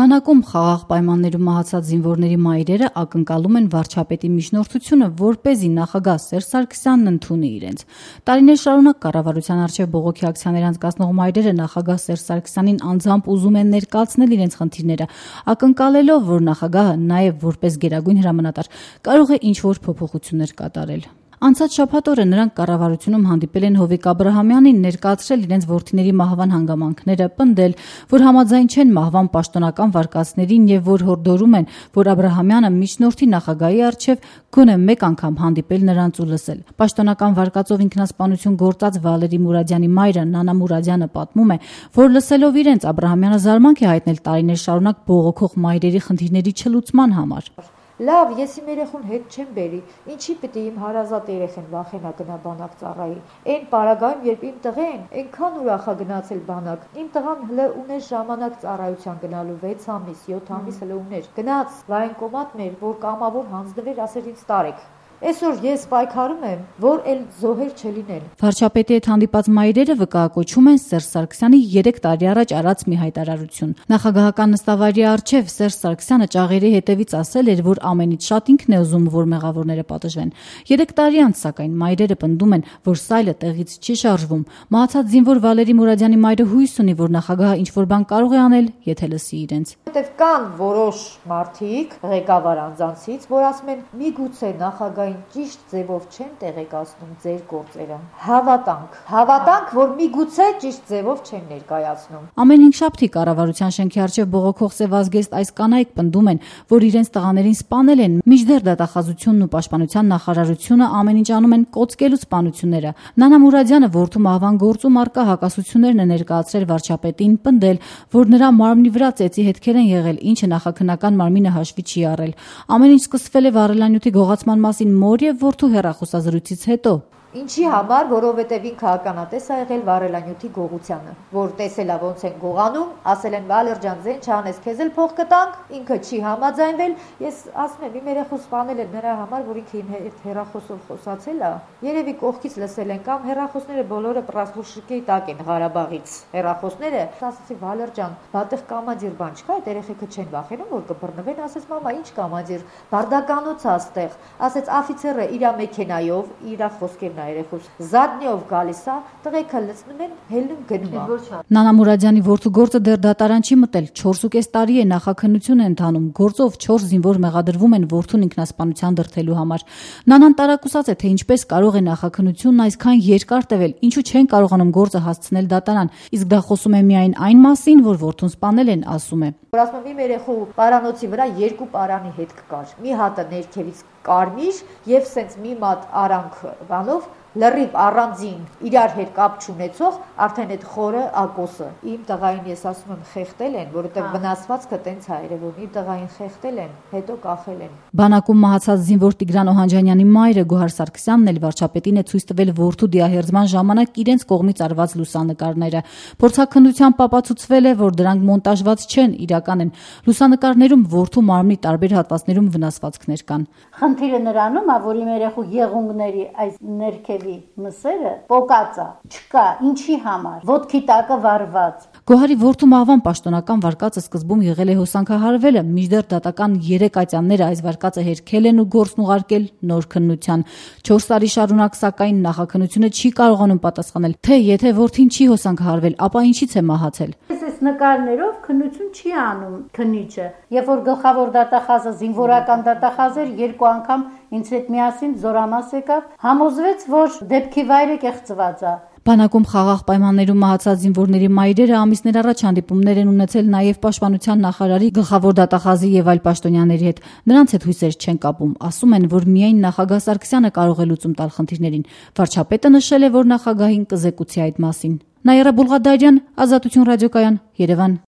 Բանակում խաղաղ պայմաններում մահացած զինվորների մայրերը ակնկալում են վարչապետի միջնորդությունը, որպեսզի նախագահ Սերժ Սարգսյանն ընդունի իրենց։ Տարիներ շարունակ կառավարության առջև բողոքի ակցիաներ անցկացնող մայրերը նախագահ Սերժ Սարգսյանին անձամբ ուզում են ներկայացնել իրենց խնդիրները, ակնկալելով, որ նախագահը նաև որպես գերագույն հրամանատար կարող է ինչ-որ փոփոխություններ կատարել։ Անցած շաբաթ օրը նրանք կառավարությունում հանդիպել են Հովիկ Աբրահամյանին, ներկայացրել իրենց որդիների մահվան հանգամանքները, պնդել, որ համաձայն չեն մահվան պաշտոնական վարկածներին եւ որ հորդորում են, որ Աբրահամյանը միջնորդի նախագահի առջև գոնե մեկ անգամ հանդիպել նրանց ու լսել։ Պաշտոնական վարկածով ինքնասպանություն գործած Վալերի Մուրադյանի մայրը Նանա Մուրադյանը պատմում է, որ լսելով իրենց Աբրահամյանը զարմանք է հայտնել տարիներ շարունակ բողոքող մայրերի խնդիրների չլուծման համար։ Լավ, ես իմ երեխուն հետ չեմ բերի, ինչի պիտի իմ հարազատ երեխեն վախենա գնա բանակ ծառայի։ Այն պարագայում, երբ իմ տղեն այնքան ուրախ է գնացել բանակ, իմ տղան հլը ուներ ժամանակ ծառայության գնալու 6 ամիս, 7 ամիս հլը ուներ։ Գնաց վայնկոմատ մեր, որ կամավոր հանձնվեր, ասեր ինձ տարեք։ Այսօր ես պայքարում եմ, որ էլ զոհեր չլինեն։ Վարչապետի հետ հանդիպած մայրերը վկայակոչում են Սերժ Սարգսյանի 3 տարի առաջ արած մի հայտարարություն։ Նախագահական նստավայրի առջև Սերժ Սարգսյանը ճաղերի հետևից ասել էր, որ ամենից շատ ինքն է ուզում, որ մեղավորները պատժվեն։ 3 տարի անց, սակայն, մայրերը պնդում են, որ սայլը տեղից չի շարժվում։ Մահացած զինվոր Վալերի Մուրադյանի մայրը հույս ունի, որ նախագահը ինչ-որ բան կարող է անել, եթե լսի իրենց։ Որտեվ կան որոշ մարդիկ, ղեկավար անձանցից, որ ասում են՝ միգուցե նախագահ ճիշտ ձևով չեն տեղեկացնում ձեր գործերը։ Հավատանք, որ միգուցե ճիշտ ձևով չեն ներկայացնում։ Ամեն հինգշաբթի կառավարության շենքի առջև բողոքող սևազգեստ այս կանայք պնդում են, որ իրենց տղաներին սպանել են, մինչդեռ դատախազությունն ու պաշտպանության նախարարությունը ամեն ինչ անում են կոծկելու սպանությունները։ Նանա Մուրադյանը որդու մահվան գործում առկա հակասություններն է ներկայացրել վարչապետին, պնդել, որ նրա մարմնի վրա ծեծի հետքեր են եղել, ինչը նախաքննական մարմինը հաշվի չի առել։ Ամեն ինչ սկսվել է վառելանյութի գողացման մասին մոր եւ որդու հեռախոսազրույցից հետո։ Ինչի համար, որովհետև ինքը ականատես է եղել վառելանյութի գողությանը, որ տեսել է ոնց են գողանում, ասել են Վալեր ջան, զեն չանես, քեզ էլ փող կտանք, ինքը չի համաձայնվել։ Ես ասում եմ, իմ երեխու սպանել են նրա համար, որ ինքը իմ հետ հեռախոսով խոսացել է։ Երևի կողքից լսել են կամ հեռախոսները բոլորը պրասլուշկի տակ են Ղարաբաղից։ Հեռախոսները ասացի Վալեր ջան, բատեղ կամադիր բան չկա, այդ երեխեքը չեն վախենում, որ կբռնվեն, ասեց մամա, ինչ կամադիր, բարդականոց է այստեղ։ Ասեց աֆիցերը իր մեքենայով, իր խոսքերն երեխուս զադնիով գալիս է, տղեկը լցնում են, հելնում գնում է։ Նանա Մուրադյանի որդու գործը դեռ դատարան չի մտել, 4.5 տարի է նախաքննություն է ընթանում, գործով 4 զինվոր մեղադրվում են որդուն ինքնասպանության դրդելու համար։ Նանան տարակուսած է, թե ինչպես կարող է նախաքննությունն այսքան երկար տևել, ինչու չեն կարողանում գործը հասցնել դատարան, իսկ դա խոսում է միայն այն մասին, որ որդուն սպանել են, ասում է։ Որ ասում եմ, իմ երեխու պարանոցի վրա 2 պարանի հետ կար, մի հատը ներքևից կարմիր եւ սենց մի մատ արանք բանով լրիվ առանձին իրար հետ կապ չունեցող արդեն այդ խորը ակոսը։ Իմ տղային ես ասում եմ խեղտել են, որովհետև վնասվածքը տենց է երևում, իմ տղային խեղտել են, հետո կախել են։ Բանակում մահացած զինվոր Տիգրան Օհանջանյանի մայրը Գոհար Սարգսյանն էլ վարչապետին է ցույց տվել որդու դիահերձման ժամանակ իրենց կողմից արված լուսանկարները։ Փորձաքննությամբ ապացուցվել է, որ դրանք մոնտաժված չեն, իրական են։ Լուսանկարներում որդու մարմնի տարբեր հատվածներում վնասվածքներ կան։ Խնդիրը նրանում է, որ իմ երեխու եղունգների այս ներքևի մսերը պոկած է, չկա, ինչի համար, ոտքի տակը վառված։ Գոհարի որդու մահվան պաշտոնական վարկածը սկզբում եղել է հոսանքահարվելը, մինչդեռ դատական 3 ատյանները այս վարկածը հերքել են ու գործն ուղարկել նոր քննության։ 4 տարի շարունակ, սակայն, նախաքննությունը չի կարողանում պատասխանել, թե եթե որդին չի հոսանքահարվել, ապա ինչից է մահացել։ Այս նկարներով քննություն չի անում քննիչը։ Երբ որ գլխավոր դատախազը զինվորական դատախազ էր, 2 անգամ ինձ հետ միասին զորամաս եկավ, համոզվեց, որ դեպքի վայրը կեղծված է։ Բանակում խաղաղ պայմաններում մահացած զինվորների մայրերը ամիսներ առաջ հանդիպումներ են ունեցել նաև պաշտպանության նախարարի, գլխավոր դատախազի եւ այլ պաշտոնյաների հետ։ Նրանց հետ հույսեր չեն կապում, ասում են, որ միայն նախագահ Սարգսյանը կարող է լուծում տալ խնդիրներին։ Վարչապետը նշել է, որ նախագահին կզեկուցի այդ մասին։ Նաիրա Բուլղադարյան, Ազատություն ռադիոկայան, Երևան։